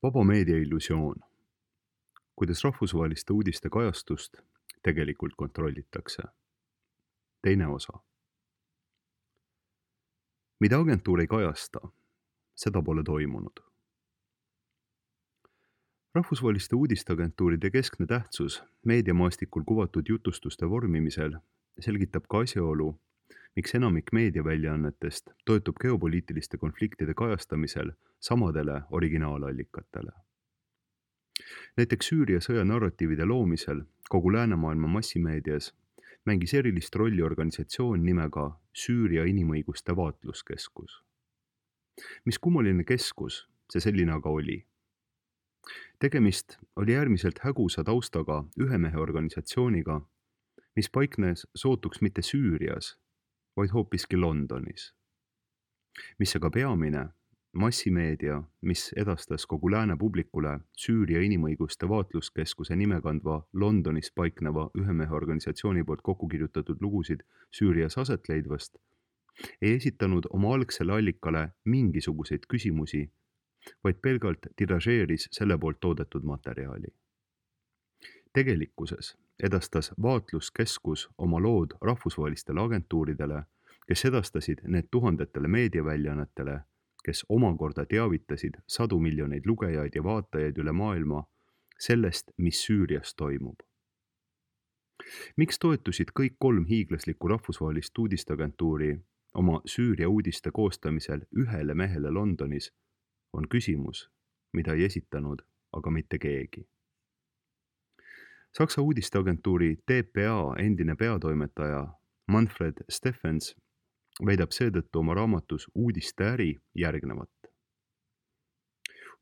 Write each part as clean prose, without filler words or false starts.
Vaba meedia illusioon. Kuidas rahvusvaheliste uudiste kajastust tegelikult kontrollitakse. Teine osa. Mida agentuur ei kajasta, seda pole toimunud. Rahvusvaheliste uudisteagentuuride keskne tähtsus meediamaastikul kuvatud jutustuste vormimisel selgitab ka asjaolu, miks enamik meediaväljaannetest toetub geopoliitiliste konfliktide kajastamisel samadele originaalallikatele. Näiteks Süüria sõja narratiivide loomisel kogu läänemaailma massimeedias mängis erilist rolli organisatsioon nimega Süüria inimõiguste vaatluskeskus. Mis kummaline keskus see selline aga oli? Tegemist oli äärmiselt hägusa taustaga ühe mehe organisatsiooniga, mis paiknes sootuks mitte Süürias, vaid hoopiski Londonis. Mis aga peamine, massimeedia, mis edastas kogu lääne publikule Süüria inimõiguste vaatluskeskuse nime kandva Londonis paikneva ühe mehe organisatsiooni poolt kokku kirjutatud lugusid Süürias aset leidvast, ei esitanud oma algsele allikale mingisuguseid küsimusi, vaid pelgalt tiražeeris selle poolt toodetud materjali. Tegelikkuses edastas vaatluskeskus oma lood rahvusvahelistele agentuuridele, kes edastasid need tuhandetele meediaväljaannetele, kes omakorda teavitasid sadu miljoneid lugejaid ja vaatajaid üle maailma sellest, mis Süürias toimub. Miks toetusid kõik 3 hiiglaslikku rahvusvahelist uudisteagentuuri oma Süüria uudiste koostamisel ühele mehele Londonis, on küsimus, mida ei esitanud aga mitte keegi. Saksa uudisteagentuuri dpa endine peatoimetaja Manfred Steffens väidab seetõttu oma raamatus Uudiste äri järgnevat.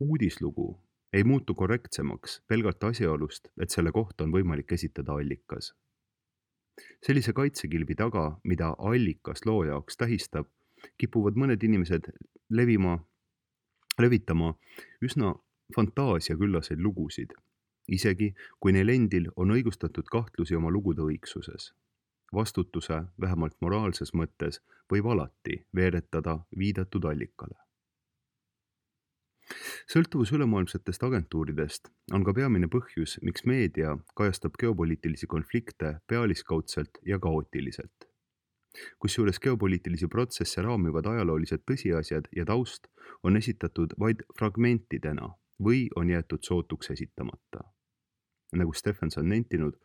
Uudislugu ei muutu korrektsemaks pelgalt asjaolust, et selle kohta on võimalik esitada allikas. Sellise kaitsekilbi taga, mida allikas loo jaoks tähistab, kipuvad mõned inimesed levitama üsna fantaasiaküllaseid lugusid, isegi kui neil endil on õigustatud kahtlusi oma lugude õigsuses. Vastutuse, vähemalt moraalses mõttes, võib alati veeretada viidatud allikale. Sõltuvus ülemaailmsetest agentuuridest on ka peamine põhjus, miks meedia kajastab geopoliitilisi konflikte pealiskaudselt ja kaootiliselt. Kusjuures geopoliitilisi protsesse raamivad ajaloolised tõsiasjad ja taust on esitatud vaid fragmentidena või on jäetud sootuks esitamata. Nagu Steffens on nentinud,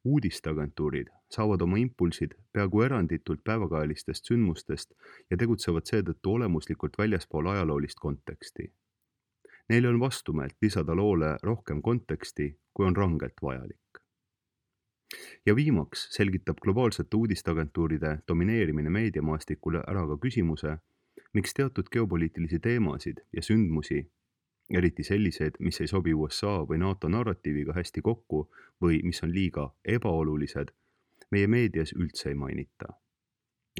uudisteagentuurid saavad oma impulsid peaaegu eranditult päevakajalistest sündmustest ja tegutsevad seetõttu olemuslikult väljaspool ajaloolist konteksti. Neile on vastumeelt lisada loole rohkem konteksti, kui on rangelt vajalik. Ja viimaks selgitab globaalsete uudisteagentuuride domineerimine meediamaastikule ära ka küsimuse, miks teatud geopoliitilisi teemasid ja sündmusi, eriti sellised, mis ei sobi USA või NATO narratiiviga hästi kokku või mis on liiga ebaolulised, meie meedias üldse ei mainita.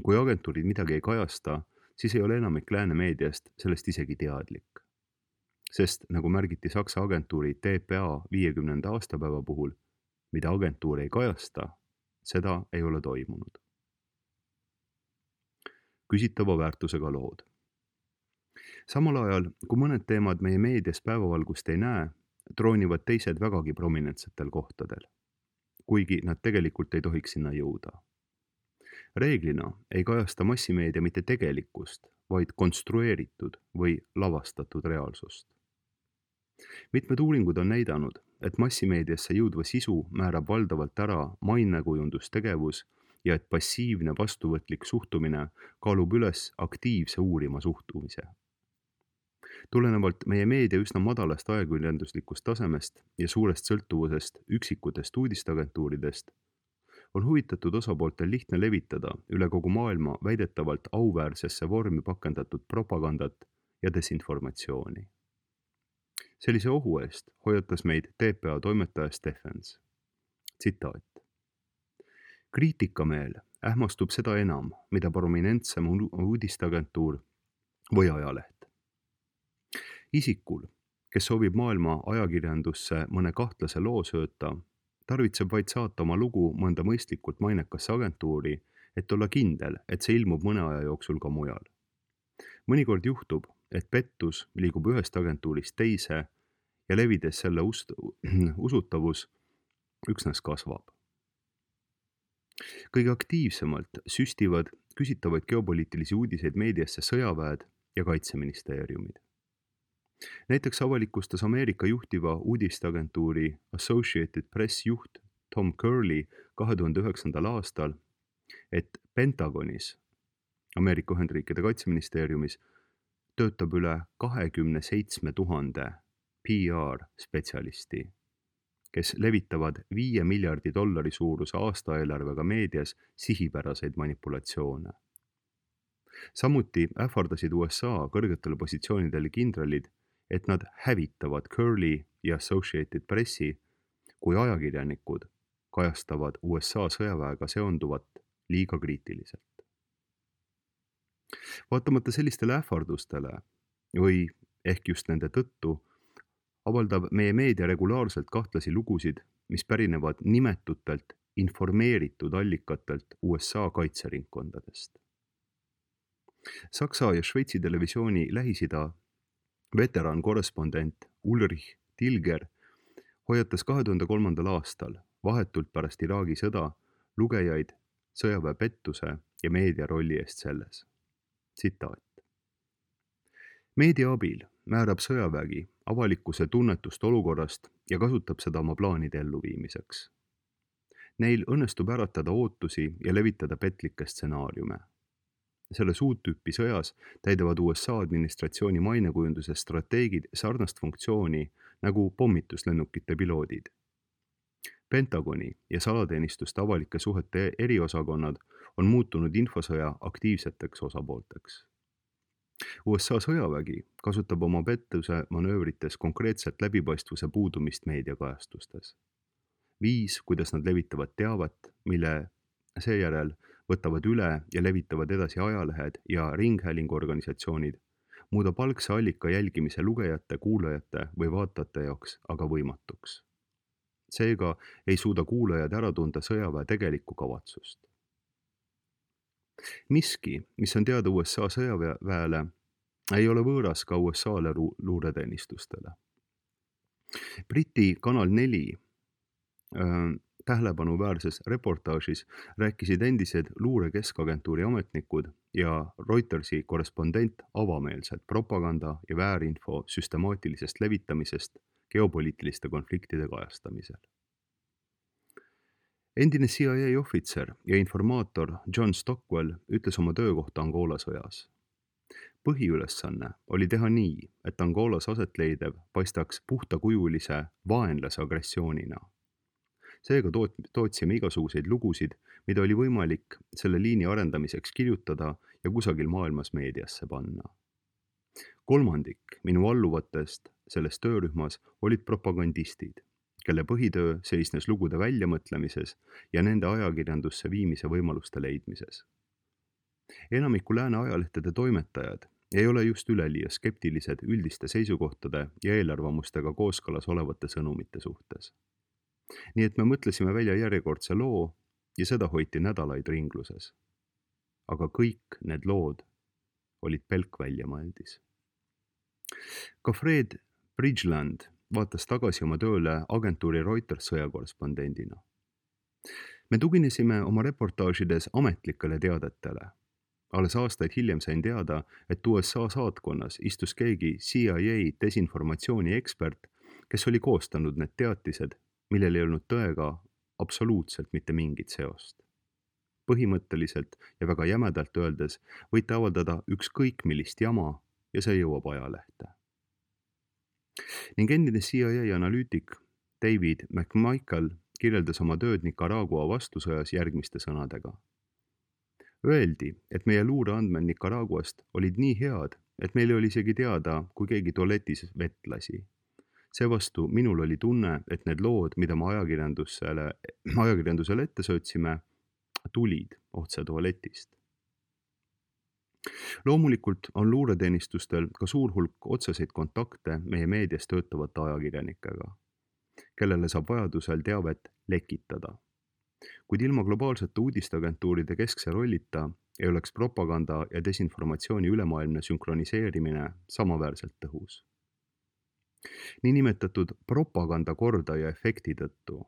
Kui agentuurid midagi ei kajasta, siis ei ole enamik lääne meediast sellest isegi teadlik. Sest, nagu märgiti Saksa agentuuri dpa 50. aastapäeva puhul, mida agentuur ei kajasta, seda ei ole toimunud. Küsitava väärtusega lood. Samal ajal, kui mõned teemad meie meedias päevavalgust ei näe, troonivad teised vägagi prominentsetel kohtadel, kuigi nad tegelikult ei tohiks sinna jõuda. Reeglina ei kajasta massimeedia mitte tegelikkust, vaid konstrueeritud või lavastatud reaalsust. Mitmed uuringud on näidanud, et massimeediasse jõudva sisu määrab valdavalt ära mainekujundustegevus ja et passiivne vastuvõtlik suhtumine kaalub üles aktiivse uurima suhtumise. Tulenevalt meie meedia üsna madalast ajakirjanduslikust tasemest ja suurest sõltuvusest üksikutest uudisteagentuuridest, on huvitatud osapooltel lihtne levitada üle kogu maailma väidetavalt auväärsesse vormi pakendatud propagandat ja desinformatsiooni. Sellise ohu eest hoiatas meid dpa toimetaja Steffens. Tsitaat. Kriitikameel ähmastub seda enam, mida prominentsem uudisteagentuur või ajaleht. Isikul, kes soovib maailma ajakirjandusse mõne kahtlase loo sööta, tarvitseb vaid saata oma lugu mõnda mõistlikult mainekasse agentuuri, et olla kindel, et see ilmub mõne aja jooksul ka mujal. Mõnikord juhtub, et pettus liigub ühest agentuurist teise ja levides selle usutavus üksnes kasvab. Kõige aktiivsemalt süstivad küsitavaid geopoliitilisi uudiseid meediasse sõjaväed ja kaitseministeeriumid. Näiteks avalikustas Ameerika juhtiva uudisteagentuuri Associated Press juht Tom Curley 2009. aastal, et Pentagonis, Ameerika Ühendriikide kaitseministeeriumis, töötab üle 27 000 PR-spetsialisti, kes levitavad $5 miljardi suuruse aastaeelarvega meedias sihipäraseid manipulatsioone. Samuti ähvardasid USA kõrgetele positsioonidele kindralid, et nad hävitavad Curley ja Associated Pressi, kui ajakirjanikud kajastavad USA sõjaväega seonduvat liiga kriitiliselt. Vaatamata sellistele ähvardustele või ehk just nende tõttu avaldab meie meedia regulaarselt kahtlasi lugusid, mis pärinevad nimetutelt informeeritud allikatelt USA kaitseringkondadest. Saksa ja Šveitsi televisiooni Lähis-Ida veterankorrespondent Ulrich Tilger hoiatas 2003. aastal vahetult pärast Iraagi sõda lugejaid sõjaväe pettuse ja meedia rolli eest selles. Tsitaat. Meedia abil määrab sõjavägi avalikkuse tunnetust olukorrast ja kasutab seda oma plaanide elluviimiseks. Neil õnnestub äratada ootusi ja levitada petlikke stsenaariume. Selles uut tüüpi sõjas täidavad USA administratsiooni mainekujunduse strateegid sarnast funktsiooni nagu pommituslennukite piloodid. Pentagoni ja salateenistuste avalike suhete eriosakonnad on muutunud infosõja aktiivseteks osapoolteks. USA sõjavägi kasutab oma pettuse manöövrites konkreetselt läbipaistvuse puudumist meediakajastustes. Viis, kuidas nad levitavad teavet, mille seejärel võtavad üle ja levitavad edasi ajalehed ja ringhäälinguorganisatsioonid, muudab algse allika jälgimise lugejate, kuulajate või vaatajate jaoks aga võimatuks. Seega ei suuda kuulajad ära tunda sõjaväe tegelikku kavatsust. Miski, mis on teada USA sõjaväele, ei ole võõras ka USA-le luureteenistustele. Briti Kanal 4 tähelepanuväärses reportaažis rääkisid endised luure keskagentuuri ametnikud ja Reutersi korrespondent avameelselt propaganda ja väärinfo süstemaatilisest levitamisest geopoliitiliste konfliktide kajastamisel. Endine CIA ohvitser ja informaator John Stockwell ütles oma töökohta Angola sõjas. Põhiülesanne oli teha nii, et Angolas asetleidev paistaks puhtakujulise vaenlase agressioonina. Seega tootsime igasuguseid lugusid, mida oli võimalik selle liini arendamiseks kirjutada ja kusagil maailmas meediasse panna. 1/3 minu alluvatest selles töörühmas olid propagandistid, kelle põhitöö seisnes lugude väljamõtlemises ja nende ajakirjandusse viimise võimaluste leidmises. Enamiku lääne ajalehtede toimetajad ei ole just üleliia skeptilised üldiste seisukohtade ja eelarvamustega kooskõlas olevate sõnumite suhtes. Nii et me mõtlesime välja järjekordse loo ja seda hoiti nädalaid ringluses. Aga kõik need lood olid pelk väljamõeldis. Ka Fred Bridgeland vaatas tagasi oma tööle agentuuri Reuters sõjakorrespondendina. Me tuginesime oma reportaažides ametlikele teadetele. Alles aastaid hiljem sain teada, et USA saatkonnas istus keegi CIA desinformatsiooni ekspert, kes oli koostanud need teatised, millel ei olnud tõega absoluutselt mitte mingit seost. Põhimõtteliselt ja väga jämedalt öeldes võite avaldada ükskõik millist jama ja see jõuab ajalehte. Ning endine CIA analüütik David McMichael kirjeldas oma tööd Nicaragua vastusõjas järgmiste sõnadega. Öeldi, et meie luureandmed Nicaraguast olid nii head, et meil oli isegi teada, kui keegi tualetis vett lasi. Seevastu minul oli tunne, et need lood, mida me ajakirjandusele ette söötsime, tulid otse tualetist. Loomulikult on luureteenistustel ka suur hulk otseseid kontakte meie meedias töötavate ajakirjanikega, kellele saab vajadusel teavet lekitada. Kuid ilma globaalsete uudisteagentuuride keskse rollita ei oleks propaganda ja desinformatsiooni ülemaailmne sünkroniseerimine samaväärselt tõhus. Niinimetatud propagandakordaja efekti tõttu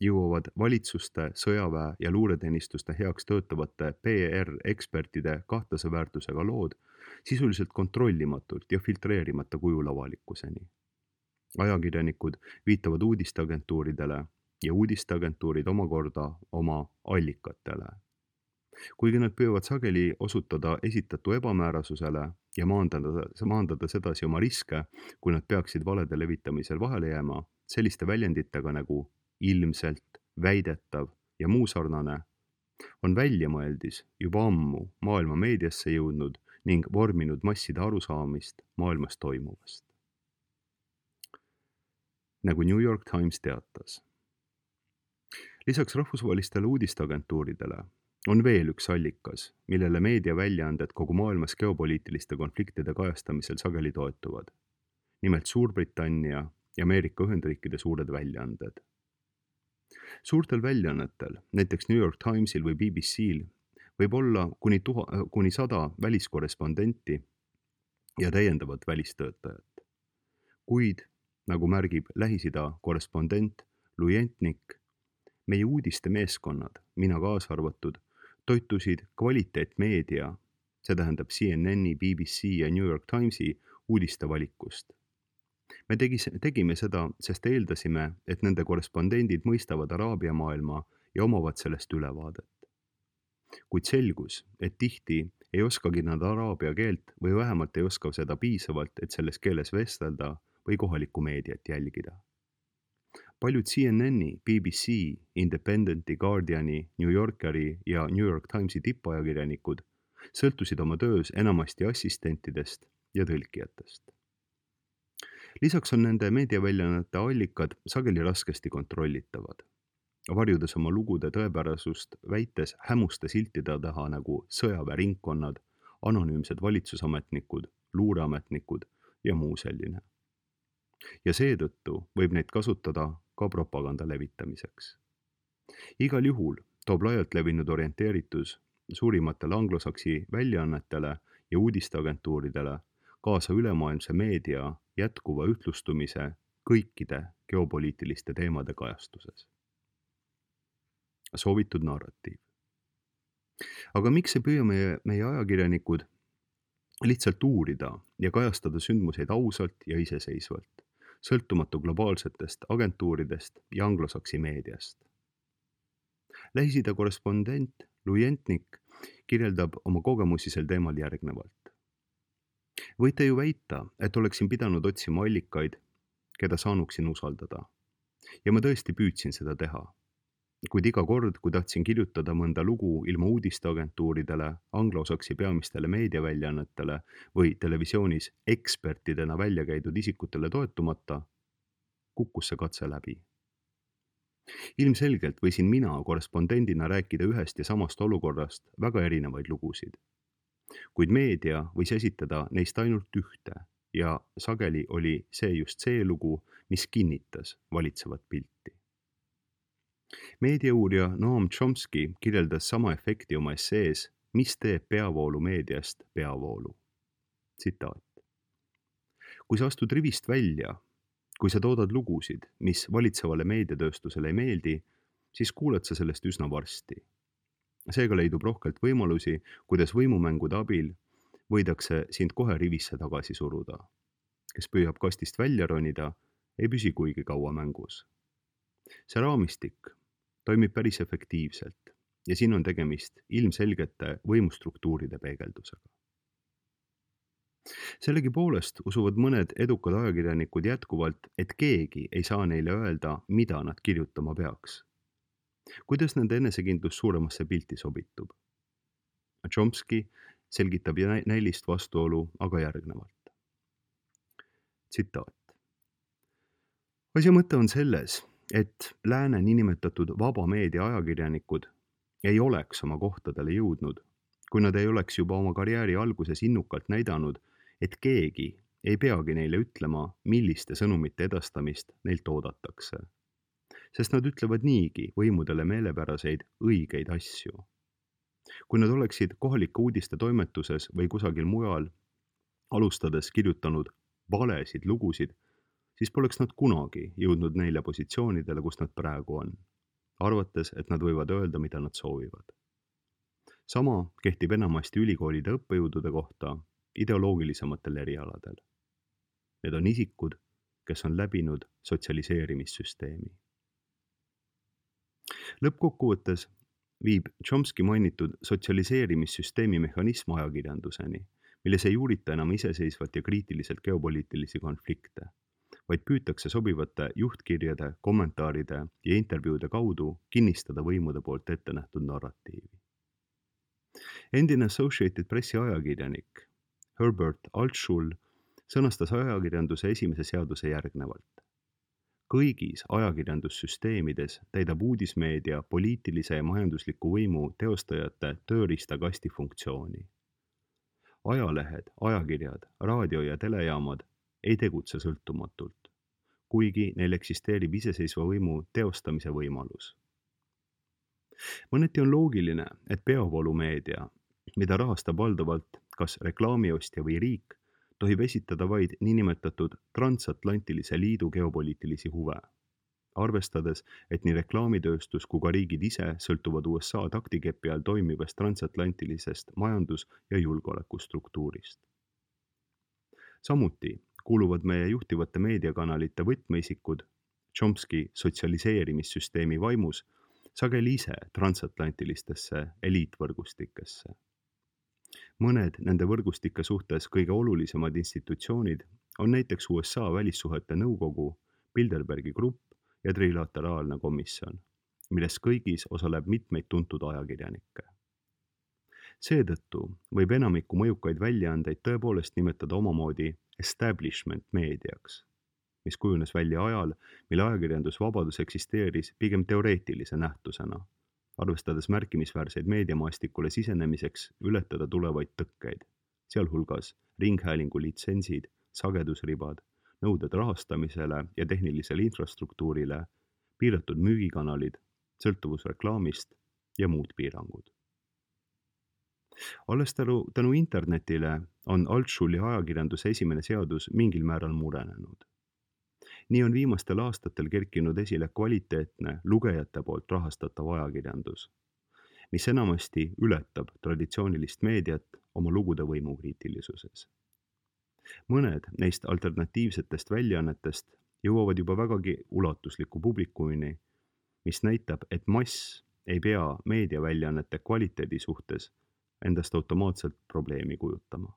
jõuavad valitsuste, sõjaväe ja luureteenistuste heaks töötavate PR-ekspertide kahtlase väärtusega lood sisuliselt kontrollimatult ja filtreerimata kujul avalikkuseni. Ajakirjanikud viitavad uudisteagentuuridele ja uudisteagentuurid omakorda oma allikatele. Kuigi nad püüavad sageli osutada esitatu ebamäärasusele ja maandada sedasi oma riske, kui nad peaksid valede levitamisel vahele jääma, selliste väljenditega nagu ilmselt, väidetav ja muu sarnane on väljamõeldis juba ammu maailma meediasse jõudnud ning vorminud masside arusaamist maailmas toimuvast. Nagu New York Times teatas. Lisaks rahvusvahelistele uudisteagentuuridele on veel üks allikas, millele meediaväljaanded kogu maailmas geopoliitiliste konfliktide kajastamisel sageli toetuvad. Nimelt Suurbritannia ja Ameerika Ühendriikide suured väljaanded. Suurtel väljaannetel, näiteks New York Timesil või BBC-l, võib olla kuni 100 väliskorrespondenti ja täiendavat välistöötajat. Kuid, nagu märgib Lähis-Ida korrespondent Lujentnik, meie uudiste meeskonnad, mina kaasa arvatud, toitusid kvaliteetmeedia, see tähendab CNN-i, BBC ja New York Timesi uudiste valikust. Me tegime seda, sest eeldasime, et nende korrespondendid mõistavad Araabia maailma ja omavad sellest ülevaadet. Kuid selgus, et tihti ei oskagi nad araabia keelt või vähemalt ei oska seda piisavalt, et selles keeles vestelda või kohalikku meediat jälgida. Paljud CNN-i, BBC, Independenti, Guardiani, New Yorkeri ja New York Timesi tippajakirjanikud sõltusid oma töös enamasti assistentidest ja tõlkijatest. Lisaks on nende meediaväljaannete allikad sageli raskesti kontrollitavad, varjudes oma lugude tõepärasust väites hämuste siltide taha nagu sõjaväeringkonnad, anonüümsed valitsusametnikud, luureametnikud ja muu selline. Ja seetõttu võib neid kasutada ka propaganda levitamiseks. Igal juhul toob laialt levinud orienteeritus suurimatele anglosaksi väljaannetele ja uudisteagentuuridele kaasa ülemaailmse meedia jätkuva ühtlustumise kõikide geopoliitiliste teemade kajastuses. Soovitud narratiiv. Aga miks ei püüa meie ajakirjanikud lihtsalt uurida ja kajastada sündmuseid ausalt ja iseseisvalt, sõltumatu globaalsetest agentuuridest ja anglosaksi meediast? Lähis-Ida korrespondent Lujentnik kirjeldab oma kogemusi sel teemal järgnevalt. Võite ju väita, et oleksin pidanud otsima allikaid, keda saanuksin usaldada. Ja ma tõesti püüdsin seda teha. Kuid iga kord, kui tahtsin kirjutada mõnda lugu ilma uudisteagentuuridele, anglosaksi peamistele meediaväljaannetele või televisioonis ekspertidena välja käidud isikutele toetumata, kukkus see katse läbi. Ilmselgelt võisin mina korrespondendina rääkida ühest ja samast olukorrast väga erinevaid lugusid. Kuid meedia võis esitada neist ainult ühte ja sageli oli see just see lugu, mis kinnitas valitsevat pilti. Meediauurija Noam Chomsky kirjeldas sama efekti oma essees, mis teeb peavoolu meediast peavoolu. Tsitaat. Kui sa astud rivist välja, kui sa toodad lugusid, mis valitsevale meediatööstusele ei meeldi, siis kuuled sa sellest üsna varsti. Seega leidub rohkelt võimalusi, kuidas võimumängude abil võidakse sind kohe rivisse tagasi suruda. Kes püüab kastist välja ronida, ei püsi kuigi kaua mängus. See raamistik toimib päris efektiivselt ja siin on tegemist ilmselgete võimustruktuuride peegeldusega. Sellegipoolest usuvad mõned edukad ajakirjanikud jätkuvalt, et keegi ei saa neile öelda, mida nad kirjutama peaks. Kuidas nende enesekindlus suuremasse pilti sobitub? Chomsky selgitab näilist vastuolu aga järgnevalt. Tsitaat. Asja mõte on selles, et lääne niinimetatud vaba meedia ajakirjanikud ei oleks oma kohtadele jõudnud, kui nad ei oleks juba oma karjääri alguses innukalt näidanud, et keegi ei peagi neile ütlema, milliste sõnumite edastamist neilt oodatakse. Sest nad ütlevad niigi võimudele meelepäraseid õigeid asju. Kui nad oleksid kohalike uudiste toimetuses või kusagil mujal alustades kirjutanud valesid lugusid, siis poleks nad kunagi jõudnud neile positsioonidele, kus nad praegu on, arvates, et nad võivad öelda, mida nad soovivad. Sama kehtib enamasti ülikoolide õppejõudude kohta ideoloogilisematel erialadel. Need on isikud, kes on läbinud sotsialiseerimissüsteemi. Lõppkokkuvõttes viib Chomsky mainitud sotsialiseerimissüsteemi mehhanism ajakirjanduseni, milles ei uurita enam iseseisvalt ja kriitiliselt geopoliitilisi konflikte, vaid püütakse sobivate juhtkirjade, kommentaaride ja intervjuude kaudu kinnistada võimude poolt ette nähtud narratiivi. Endine Associated Pressi ajakirjanik Herbert Altschul sõnastas ajakirjanduse esimese seaduse järgnevalt. Kõigis ajakirjandussüsteemides täidab uudismeedia poliitilise ja majandusliku võimu teostajate tööriistakasti funktsiooni. Ajalehed, ajakirjad, raadio- ja telejaamad ei tegutse sõltumatult, kuigi neil eksisteerib iseseisva võimu teostamise võimalus. Mõneti on loogiline, et peavoolumeedia, mida rahastab valdavalt kas reklaamiostja või riik, tohib esitada vaid niinimetatud transatlantilise liidu geopoliitilisi huve, arvestades, et nii reklaamitööstus kui ka riigid ise sõltuvad USA taktikepi all toimivast transatlantilisest majandus- ja julgeolekustruktuurist. Samuti kuuluvad meie juhtivate meediakanalite võtmeisikud Chomsky sotsialiseerimissüsteemi vaimus sageli ise transatlantilistesse eliitvõrgustikesse. Mõned nende võrgustike suhtes kõige olulisemad institutsioonid on näiteks USA välissuhete nõukogu, Bilderbergi grupp ja trilateraalne komisjon, milles kõigis osaleb mitmeid tuntud ajakirjanikke. Seetõttu võib enamikku mõjukaid väljaandeid tõepoolest nimetada omamoodi establishment meediaks, mis kujunes välja ajal, mil ajakirjandusvabadus eksisteeris pigem teoreetilise nähtusena, arvestades märkimisväärseid meediamaastikule sisenemiseks ületada tulevaid tõkkeid, sealhulgas ringhäälingu litsentsid, sagedusribad, nõuded rahastamisele ja tehnilisele infrastruktuurile, piiratud müügikanalid, sõltuvus reklaamist ja muud piirangud. Alles tänu internetile on Altschuli ajakirjanduse esimene seadus mingil määral murenenud. Nii on viimastel aastatel kerkinud esile kvaliteetne lugejate poolt rahastatav ajakirjandus, mis enamasti ületab traditsioonilist meediat oma lugude võimukriitilisuses. Mõned neist alternatiivsetest väljaannetest jõuavad juba vägagi ulatusliku publikumini, mis näitab, et mass ei pea meediaväljaannete kvaliteedi suhtes endast automaatselt probleemi kujutama.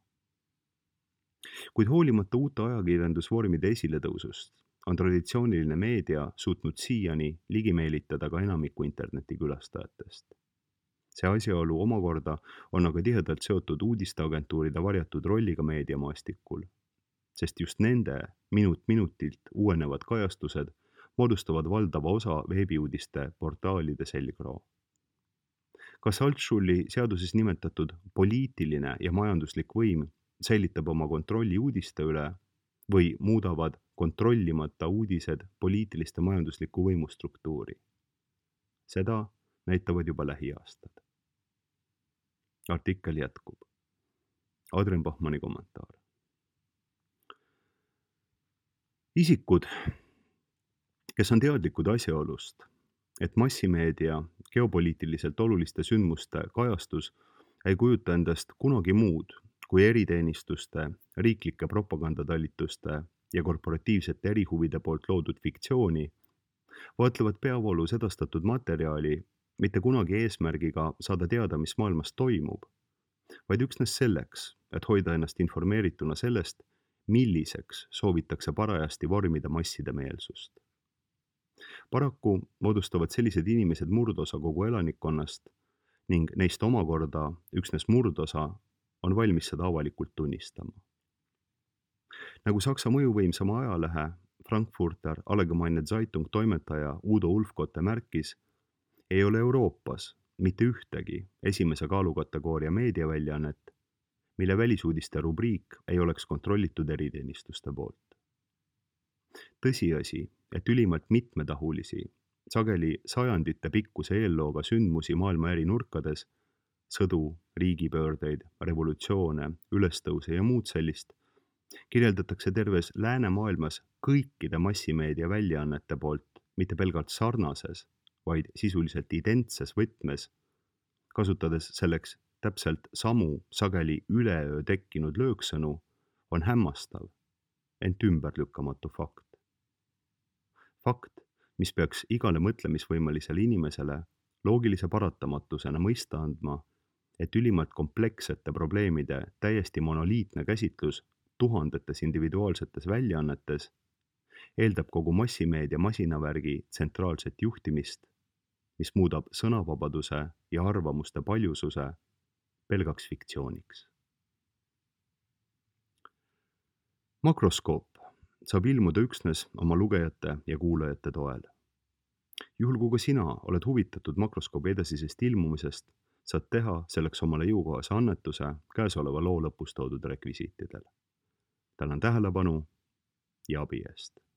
Kuid hoolimata uute ajakirjandusvormide esiletõusust on traditsiooniline meedia suutnud siiani ligi meelitada ka enamiku internetikülastajatest. See asjaolu omakorda on aga tihedalt seotud uudisteagentuuride varjatud rolliga meediamaastikul, sest just nende minut-minutilt uuenevad kajastused moodustavad valdava osa veebiuudiste portaalide selgroo. Kas Altschuli seaduses nimetatud poliitiline ja majanduslik võim säilitab oma kontrolli uudiste üle või muudavad kontrollimata uudised poliitiliste majandusliku võimu struktuuri? Seda näitavad juba lähiaastad. Artikkel jätkub. Adrian Bachmanni kommentaar. Isikud, kes on teadlikud asjaolust, et massimeedia geopoliitiliselt oluliste sündmuste kajastus ei kujuta endast kunagi muud kui eriteenistuste, riiklike propagandatalituste ja korporatiivsete erihuvide poolt loodud fiktsiooni, vaatlevad peavoolus edastatud materjali mitte kunagi eesmärgiga saada teada, mis maailmas toimub, vaid üksnes selleks, et hoida ennast informeerituna sellest, milliseks soovitakse parajasti vormida masside meelsust. Paraku moodustavad sellised inimesed murdosa kogu elanikkonnast ning neist omakorda üksnes murdosa on valmis seda avalikult tunnistama. Nagu Saksa mõjuvõimsama ajalehe Frankfurter Allgemeine Zeitung toimetaja Udo Ulfkotte märkis, ei ole Euroopas mitte ühtegi esimese kaalukategooria meediaväljaannet, mille välisuudiste rubriik ei oleks kontrollitud eriteenistuste poolt. Tõsiasi, et ülimalt mitmetahulisi, sageli sajandite pikkuse eellooga sündmusi maailma eri nurkades, sõdu, riigipöördeid, revolutsioone, ülestõuse ja muud sellist, Kirjeldatakse terves läänemaailmas kõikide massimeedia väljaannete poolt mitte pelgalt sarnases, vaid sisuliselt identses võtmes, kasutades selleks täpselt samu, sageli üleöö tekkinud lööksõnu, on hämmastav, ent ümberlükkamatu fakt. Fakt, mis peaks igale mõtlemisvõimelisele inimesele loogilise paratamatusena mõista andma, et ülimalt komplekssete probleemide täiesti monoliitne käsitlus tuhandetes individuaalsetes väljaannetes eeldab kogu massimeedia masinavärgi tsentraalset juhtimist, mis muudab sõnavabaduse ja arvamuste paljususe pelgaks fiktsiooniks. Makroskoop saab ilmuda üksnes oma lugejate ja kuulajate toel. Juhul kui ka sina oled huvitatud makroskoobi edasisest ilmumisest, saad teha selleks omale jõukohase annetuse käesoleva loo lõpus toodud rekvisiitidel. Tänan tähelepanu ja abi eest!